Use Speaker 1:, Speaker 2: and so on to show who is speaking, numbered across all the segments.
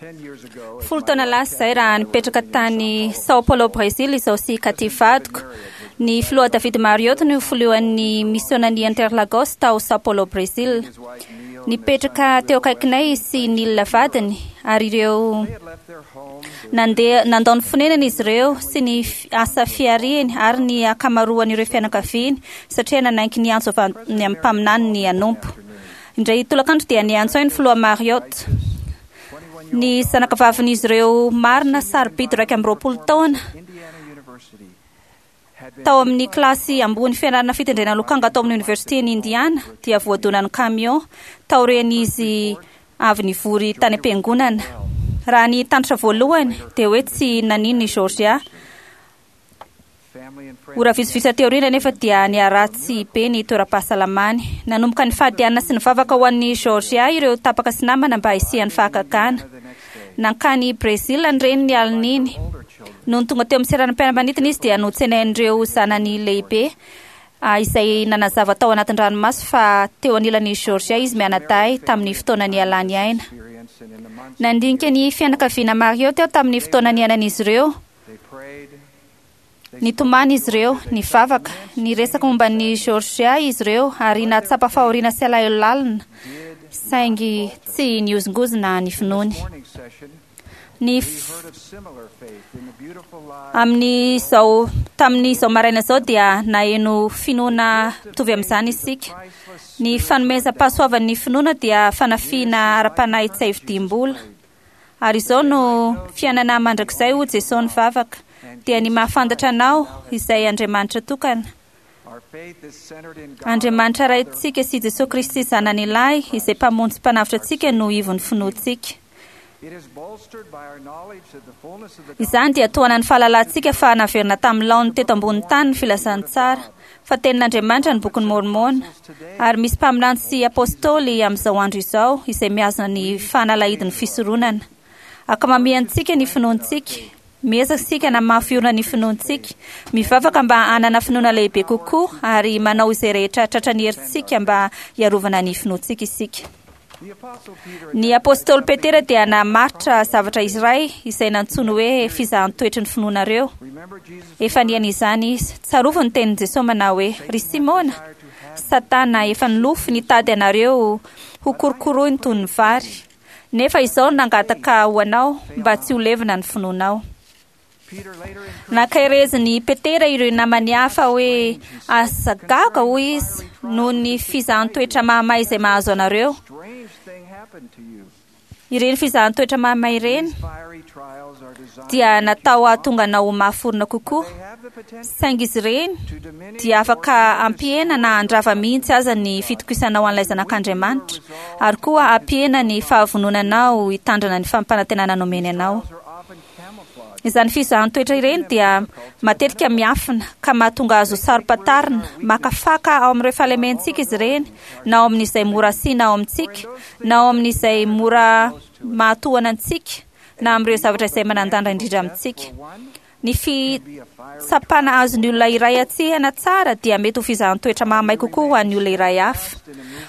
Speaker 1: 10 taona lasa izay raha nipetraka tany Sao Paulo, Brésil izaho sy Kathy vadiko. Ny filoha David Marriott no filohan'ny misionan'i Interlagos tao Sao Paulo, Brésil. Nipetraka teo akaikinay izy sy Neil vadiny ary ireo nandeha nandao ny fonenany izy ireo sy ny asa fihariany ary ny ankamaroan'ireo fianakaviany satria nanaiky ny antso avy amin'ny mpaminany ny hanompo. Indray tolakandro dia niantso ahy ny filoha Marriott. Ny zanakavavin'izy ireo marina sarobidy 21 taona tao amin'ny kilasy ambony fianarana fitendrena lokanga tao amin'ny oniversiten'i Indiana dia voadonan'ny camion taorian'izy avy nivory tany am-piangonana. Raha ny tanitra voalohany dia hoe tsy naninona i Georgia. Ora vitsivitsy aty aoriana anefa dia niharatsy be ny toeram-pahasalamany. Nanomboka nifady hanina sy nivavaka ho an'i Georgia ireo tapaka sy namana mba hisian'ny fahagagana. Nankany Brésil ny reniny ny alin'iny. Nony tonga teo amin'ny seranam-piaramanidina izy dia notsenain'ireo zanany lehibe izay nanazava tao anatin-dranomaso fa teo anilan'i Georgia izy mianadahy tamin'ny fotoana nialany aina. Nandinika ny fianakaviana Marriott aho tamin'ny fotoana niainan'izy ireo. Nitomany izy ireo, nivavaka, niresaka momba an'i Georgia izy ireo ary nahatsapa fahoriana sy alahelo lalina, saingy tsy nihozongozona ny finoany. Ny amin'izao tamin'izao maraina izao dia naheno finoana mitovy amin'izany isika. Ny fanomezam-pahasoavan'ny finoana dia fanafiana ara-panahy tsy hay vidiam-bola. Ary izao no fiainana mandrakizay hoy Jesoa nivavaka, dia ny mahafantatra Anao, izay Andriamanitra tokana. Andriamanitra Raintsika sy Jesoa Kristy Zanany Lahy, izay Mpamonjy Mpanavotra antsika no ivon'ny finoantsika. Izany dia tohanan'ny fahalalantsika fa naverina tamin'ny laoniny teto ambonin'ny tany ny filazantsara, fa tenin'Andriamanitra ny Bokin'i Môrmôna, ary misy mpaminany sy apôstôly amin'izao andro izao izay mihazona ny fanalahidin'ny fisoronana. Ankamamiantsika ny finoantsika. Miezaka isika hanamafy orina ny finoantsika, mivavaka mba hanana finoana lehibe kokoa, ary manao izay rehetra tratran'ny herintsika mba hiarovana ny finoantsika isika. Ny apostoly Petera dia namaritra zavatra iray izay nantsoiny hoe fizahan-toetry ny finoanareo. Efa niaina izany izy. Tsarovy ny tenin'i Jesoa manao hoe, Ry Simona, Satana efa nilofo nitady anareo hokorokoroiny toy ny vary. Nefa izao no nangataka ho anao mba tsy ho levona ny finoanao. Nankaherezin'i Petera ireo namany hafa hoe, Aza gaga, hoy izy, noho ny fizahan-toetra mahamay izay mahazo anareo. Ireny fizahan-toetra mahamay ireny dia natao hahatonga anao ho mafy orina kokoa, saingy izy ireny dia afaka hampihena na handrava mihitsy aza ny fitokisanao an'ilay Zanak'Andriamanitra, ary koa hampihena ny fahavononanao hitandrana ny fampanantenana nomeny anao. Izany fizahan-toetra ireny dia matetika miafina ka mahatonga azy ho saro-pantarina, maka faka ao amin'ireo fahalementsika izy ireny, na ao amin'izay mora asiana ao amintsika, na ao amin'izay mora mahatohana antsika, na amin'ireo zavatra izay manan-danja indrindra amintsika. Ny fitsapana azon'ny olona iray atsehana tsara dia mety ho fizahan-toetra mahamay kokoa ho an'ny olona iray hafa.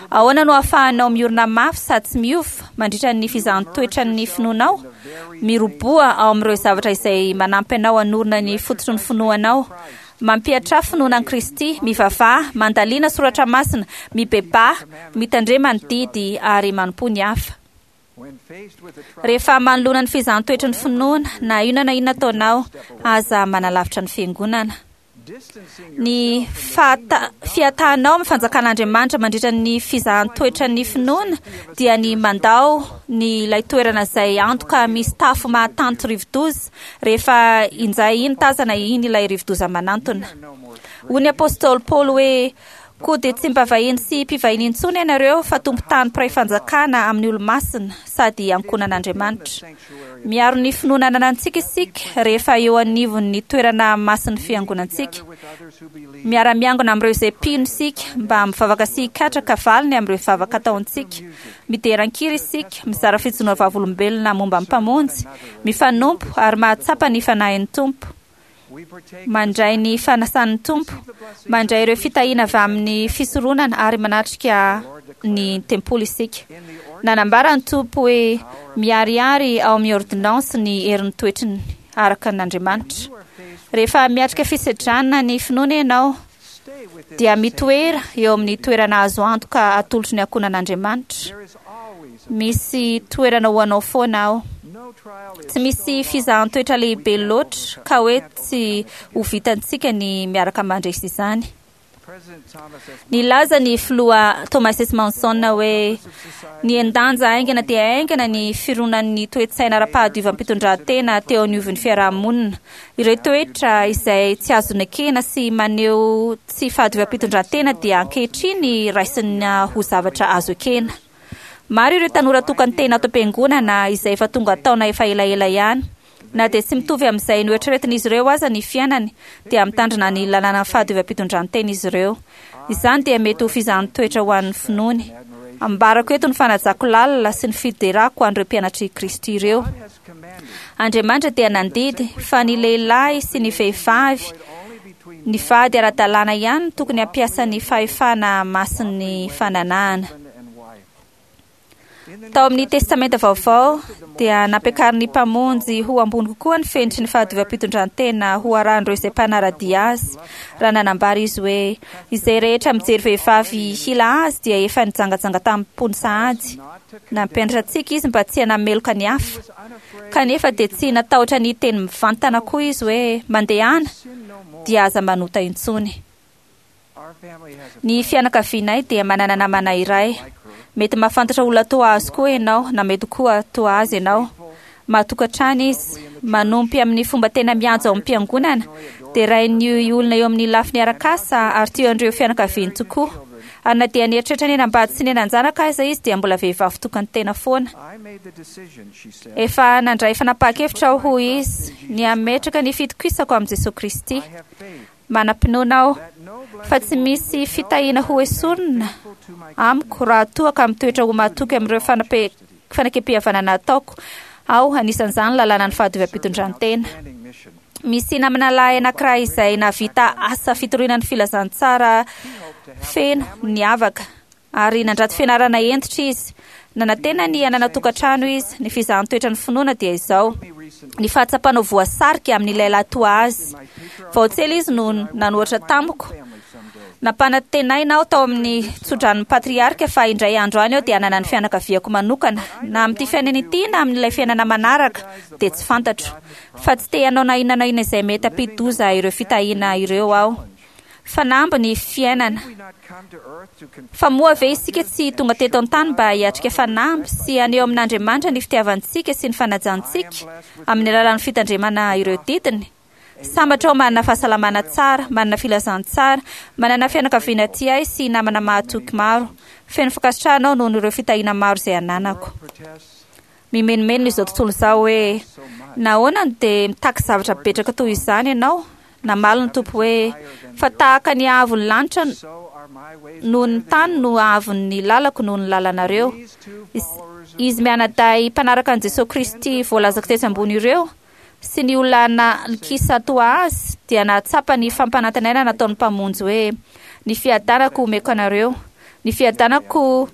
Speaker 1: Ahoana no ahafahanao miorina mafy sady tsy miova mandritra ny fizahan-toetran'ny finoanao? Miroboha ao amin'ireo zavatra izay manampy anao hanorina ny fototry ny finoanao. Mampihatra finoana an'i Kristy, mivavaha, mandalina soratra masina, mibebaha, mitandrema ny didy ary manompoa ny hafa. Rehefa manoloana ny fizahan-toetry ny finoana, na inona na inona ataonao, aza manalavitra ny Fiangonana. Ny fahata-, fiatahanao amin'ny fanjakan'Andriamanitra mandritra ny fizahan-toetran'ny finoana dia ny mandao ny ilay toerana izay antoka misy tafo mahatanty rivodoza rehefa injay iny tazana iny ilay rivodoza manantona. Hoy ny apostoly Paoly hoe, Koa dia tsy mba vahiny sy mpivahiny intsony ianareo fa tompon-tany mpiray fanjakana amin'ny olo-masina sady ankohonan'Andriamanitra. Miaro ny finoana ananantsika isika rehefa eo anivon'ny toerana masin'ny fiangonantsika. Miara-miangona amin'ireo izay mpino isika mba mivavaka sy hikatraka valiny amin'ireo vavaka ataontsika. Midera an-kira isika, mizara fijoroana vavolombelona momba ny Mpamonjy, mifanompo ary mahatsapa ny Fanahin'ny Tompo. mandray ny fanasan'ny Tompo, mandray ireo fitahiana avy amin'ny fisoronana ary manatrika ny tempoly isika. Nanambara ny Tompo hoe miharihary ao amin'ny ôrdônansy ny herin'ny toetriny araka an'Andriamanitra. Rehefa miatrika fisedrana ny finoana ianao, dia mitoera eo amin'ny toerana azo antoka atolotry ny ankohonan'Andriamanitra. Misy toerana ho anao foana ao. Tsy misy fizahan-toetra lehibe loatra ka hoe tsy ho vitantsika ny miaraka mandresy izany. Nilaza ny filoha Thomas S. Monson hoe nihen-danja haingana dia haingana ny fironan'ny toe-tsaina ara-pahadiovam-pitondrantena teo anivon'ny fiaraha-monina. Ireo toetra izay tsy azo nekena sy maneho tsy fahadiovam-pitondrantena dia ankehitriny raisina ho zavatra azo ekena. Maro ireo tanora tokan-tena ato am-piangonana izay efa tonga taona efa elaela ihany. Na dia tsy mitovy amin'izay noeritreretin'izy ireo aza ny fiainany, dia mitandrina ny lalànan'ny fahadiovam-pitondrantena izy ireo. Izany dia mety ho fizahan-toetra ho an'ny finoany. Ambarako eto ny fanajako lalina sy ny fiderako an'ireo mpianatr'i Kristy ireo. Andriamanitra dia nandidy fa ny lehilahy sy ny vehivavy ny vady ara-dalàna ihany no tokony hampiasa ny fahefana masin'ny fananahana. Tao amin'ny Testamenta Vaovao dia nampiakarin'ny Mpamonjy ho ambony kokoa ny fenitry ny fahadiovam-pitondrantena ho arahan'ireo izay mpanara-dia Azy, raha nanambara Izy hoe, Izay rehetra mijery vehivavy hila azy dia efa nijangajanga tamim-pony sahady. Nampianatra antsika Izy mba tsy hanameloka ny hafa. Kanefa dia tsy natahotra ny hiteny mivantana koa Izy hoe, Mandehana, dia aza manota intsony. Ny fianakavianay dia manana namana iray. Mety mahafantatra olona toa azy koa ianao, na mety koa toa azy ianao. Mahatoky hatrany izy, manompy amin'ny fomba tena mihaja ao am-piangonana, derain'ny olona eo amin'ny lafiny arak'asa ary tia an'ireo fianakaviany tokoa. Ary na dia nieritreritra ny hanambady sy ny hanan-janaka aza izy dia mbola vehivavy tokan-tena foana. Efa nandray fanapahan-kevitra aho, hoy izy, ny hametraka ny fitokisako amin'i Jesoa Kristy. Manam-pinoana aho fa tsy misy fitahiana ho esorina amiko raha toa ka mitoetra ho mahatoky amin'ireo fanekempihavanana ataoko aho, anisan'izany ny lalànan'ny fahadiovam-pitondrantena. Misy namana lahy anankiray izay nahavita asa fitoriana ny filazantsara feno niavaka. Ary nandrato fianarana hentitra izy. Nanantena ny hanana tokantrano izy. Ny fizahan-toetra ny finoana dia izao, ny fahatsapana ho voasarika amin'ilay lahy toa azy. Vao tsy ela izy no nanohatra tamiko. Nampanantenaina aho tao amin'ny tsodranon'ny patriarika fa indray andro any aho dia hanana ny fianakaviako manokana, na amin'ity fiainana ity na amin'ilay fiainana manaraka, dia tsy fantatro. Fa tsy te hanao na inona na inona izay mety hampidi-doza ireo fitahiana ireo aho. Fanamby ny fiainana. Fa moa ve isika tsy tonga teto an-tany mba hiatrika fanamby sy haneho amin'Andriamanitra ny fitiavantsika sy ny fanajantsika amin'ny alalan'ny fitandremana ireo didiny? Sambatra aho manana fahasalamana tsara, manana filazantsara, manana fianakaviana tia ahy sy namana mahatoky maro. Feno fankasitrahana aho noho ireo fitahiana maro izay ananako. Mimenomenona izao tontolo izao hoe, Nahoana no dia mitaky zavatra betraka toy izany ianao? Namaly ny Tompo hoe, Fa tahaka ny haavon'ny lanitra noho ny tany no haavon'ny lalako noho ny lalanareo. Izy mianadahy mpanaraka an'i Jesoa Kristy voalazako tetsy ambony ireo, sy ny olona nankisa toa azy, dia nahatsapa ny fampanantenaina nataon'ny Mpamonjy hoe, Ny fiadanako omeko anareo. Ny fiadanako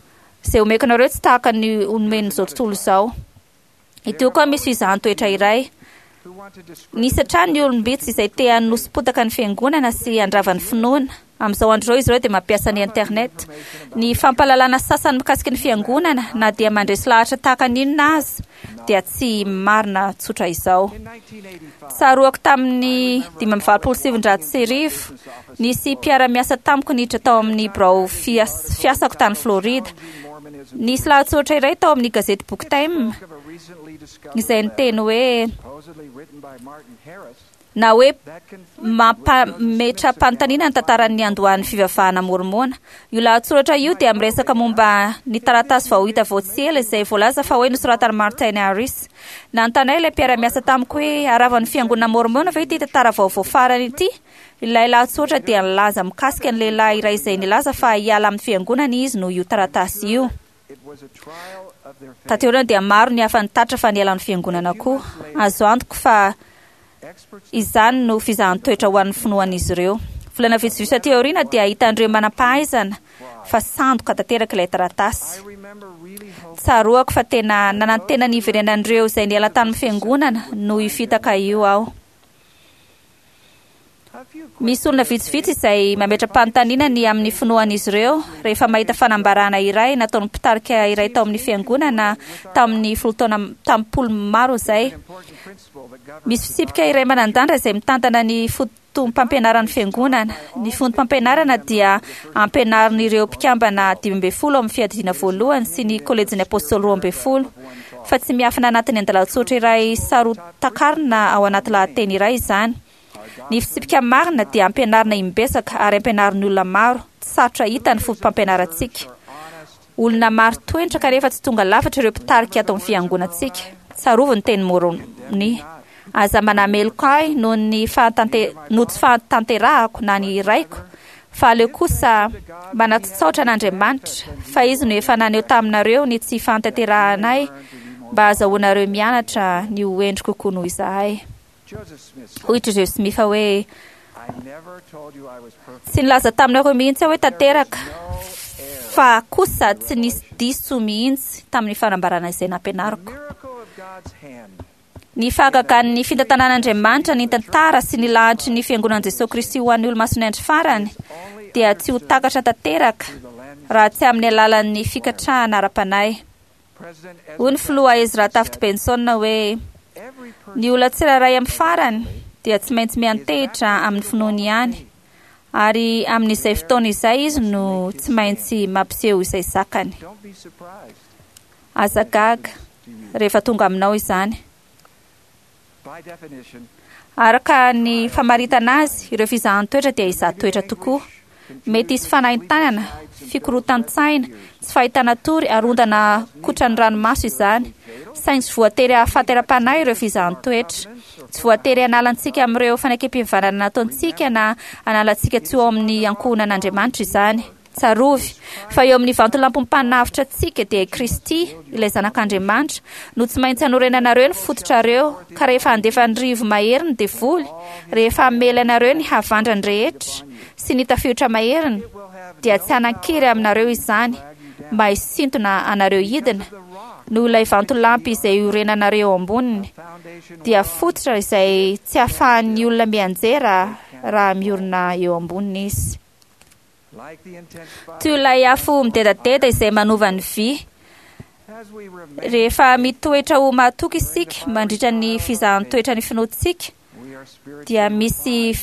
Speaker 1: izay omeko anareo tsy tahaka ny omen'izao tontolo izao. Ity koa misy fizahan-toetra iray. Nisy hatrany ny olom-bitsy izay te hanosi-potaka ny fiangonana sy handrava ny finoana. Amin'izao andro izao izy ireo dia mampiasa ny Internet. Ny fampahalalana sasany mikasika ny fiangonana, na dia mandresy lahatra tahaka ny inona aza, dia tsy marina tsotra izao. Tsaroako tamin'ny 1985, nisy mpiara-miasa tamiko niditra tao amin'ny birao fiasako tany Florida. Nisy lahatsoratra iray tao amin'ny gazety boky Time izay niteny hoe na hoe mampametra-panontaniana ny tantaran'ny niandohan'ny fivavahana môrmôna. Io lahatsoratra io dia miresaka momba ny taratasy vao hita vao tsy ela izay voalaza fa hoe nosoratan'i Martin Harris. Nanontany ahy ilay mpiara-miasa tamiko hoe haravan'ny fiangonana môrmôna ve ity tantara vaovao farany ity? Ilay lahatsoratra dia nilaza mikasika ny lehilahy iray izay nilaza fa hiala amin'ny fiangonana izy noho io taratasy io. Taty aoriana dia maro ny hafa nitatitra fa niala ny fiangonana koa. Azo antoka fa. Izany no fizahan-toetra ho an'ny finoan'izy ireo. Volana vitsivitsy aty aoriana dia hitan'ireo manam-pahaizana fa sandoka tanteraka ilay taratasy. Tsaroako fa tena nanantena ny hiverenan'ireo izay niala tamin'ny fiangonana noho io fitaka io aho. Misy olona vitsivitsy izay mametra-panontaniana ny amin'ny finoan'izy ireo rehefa mahita fanambarana iray nataon'ny mpitarika iray tao amin'ny fiangonana tamin'ny folo taona tamin'ny maro izay. Misy fitsipika iray manan-danja izay mitantana ny fotom-pampianaran'ny fiangonana. Ny fotom-pampianarana dia ampianarin'ireo mpikambana 15 ao amin'ny fiadidiana voalohany sy ny kolejin'ny apôstôly 12, fa tsy miafina anatin'ny andalan-tsoratra iray saro-takarina ao anaty lahateny iray izany. Ny fitsipika marina dia ampianarina imbetsaka ary ampianarin'ny olona maro. Tsy sarotra hita ny foto-pampianarantsika. Olona maro toetra kanefa tsy tonga lafatra ireo mpitarika ato amin'ny fiangonantsika. Tsarovy ny teny Moroni: Aza manameloka ahy noho ny noho tsy fahatanterahako na ny raiko, fa aleo kosa manatotsaotra an'Andriamanitra, fa Izy no efa naneho taminareo ny tsy fahatanterahanay mba hahazahoanareo mianatra ny ho hendry kokoa noho izahay. Hoy i Joseph Smith hoe, Tsy nilaza taminareo mihitsy aho hoe tanteraka, fa kosa tsy nisy diso mihitsy tamin'ny fanambarana izay nampianariko. Ny fahagagan'ny fitantanan'Andriamanitra ny tantara sy ny lahatry ny Fiangonan'i Jesoa Kristy ho an'ny Olomasin'ny Andro Farany dia tsy ho takatra tanteraka raha tsy amin'ny alalan'ny fikatrahana ara-panahy. Hoy ny Filoha Ezra Taft Benson hoe, Ny olona tsirairay amin'ny farany dia tsy maintsy miantehitra amin'ny finoany ihany, ary amin'izay fotoana izay izy no tsy maintsy mampiseho izay zakany. Aza gaga rehefa tonga aminao izany. Araka ny famaritana azy, ireo fizahan-toetra dia hizaha toetra tokoa. Mety hisy fanaintainana, fikorontan-tsaina, tsy fahitana tory ary ondana kotran'ny ranomaso izany. Saingy tsy voatery hahafaty ara-panahy ireo fizahan-toetra. Tsy voatery hanala antsika amin'ireo fanekempihavanana nataontsika na hanala antsika tsy ho ao amin'ny ankohonan'Andriamanitra izany. Tsarovy fa eo amin'ny vantolampim-panavotra antsika dia i Kristy, ilay Zanak'Andriamanitra, no tsy maintsy hanorenanareo ny fototrareo, ka rehefa handefa ny rivo-mahery ny devoly, rehefa hamely anareo ny havandrany rehetra sy ny tafiotra maheriny, dia tsy hanan-kery aminareo izany mba hisintona anareo hidina, noho ilay vantolampy izay iorenanareo eo amboniny, dia fototra izay tsy ahafahan'ny olona mianjera raha miorina eo amboniny izy. Toy ilay afo midedadeda izay manova ny vy. Rehefa mitoetra ho mahatoky isika mandritra ny fizahan-toetra ny finoantsika, dia misy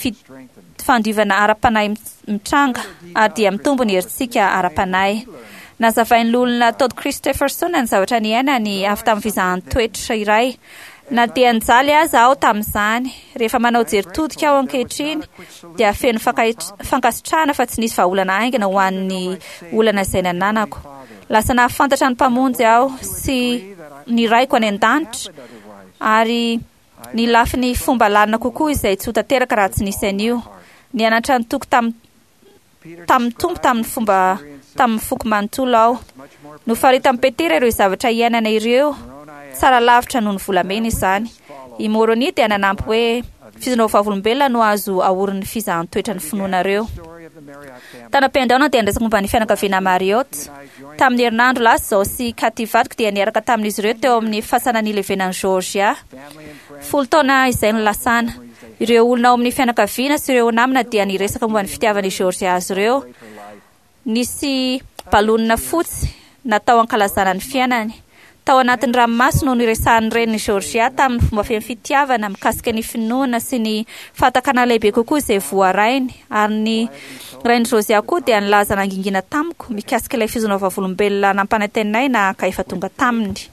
Speaker 1: fandiovana ara-panahy mitranga ary dia mitombo ny herintsika ara-panahy. Nazavain'ny Loholona Todd Christofferson ny zavatra niainany avy tamin'ny fizahan-toetra iray. Na dia nijaly aza aho tamin'izany, rehefa manao jery todika aho ankehitriny, dia feno fankasitrahana fa tsy nisy vahaolana haingana ho an'ny olana izay nananako. Lasa nahafantatra ny Mpamonjy aho sy ny Raiko any An-danitra ary ny lafiny fomba lalina kokoa izay tsy ho tanteraka raha tsy nisy an'io. Nianatra nitoky tamin'ny tamin'ny Tompo tamin'ny fomba tamin'ny foko manontolo aho. Nofaritan'i Petera ireo zavatra iainana ireo, tsara lavitra noho ny volamena izany. I Môrônia dia nanampy hoe, Fizonao vavolombelona no azo aorin'ny fizahan-toetra ny finoanareo. Tany am-piandohana dia niresaka momba ny fianakaviana Marriott. Tamin'ny herinandro lasa izao sy Kathy vadiko dia niaraka tamin'izy ireo teo amin'ny fasana nilevenan'i Georgia. 10 taona izay no lasana. Ireo olona ao amin'ny fianakaviana sy ireo namana dia niresaka momba ny fitiavan'i Georgia azy ireo. Nisy balonina fotsy natao hankalazana ny fiainany. Tao anatin'ny ranomaso no niresahan'ny renin'i Georgia tamin'ny fomba feno fitiavana mikasika ny finoana sy ny fahatakana lehibe kokoa izay voarainy, ary ny rain'i Georgia koa dia nilaza nangingina tamiko mikasika ilay fizona vavolombelona nampanantenaina ka efa tonga taminy.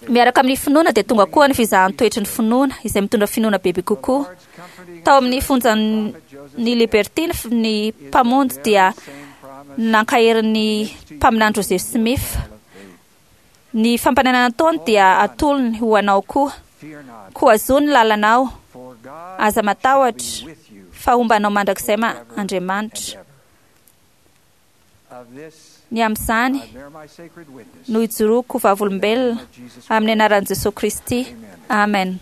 Speaker 1: Miaraka amin'ny finoana dia tonga koa ny fizahan-toetry ny finoana, izay mitondra finoana bebe kokoa. Tao amin'ny fonjan'ny Liberty ny Mpamonjy dia nankahery ny mpaminany Joseph Smith. Ny fampananana nataony dia atolony ho anao koa. Koa zo ny lalanao, aza matahotra, fa homba anao mandrakizay Andriamanitra. Ny amin'izany no ijoroako ho vavolombelona amin'ny anaran'i Jesoa Kristy. Amen.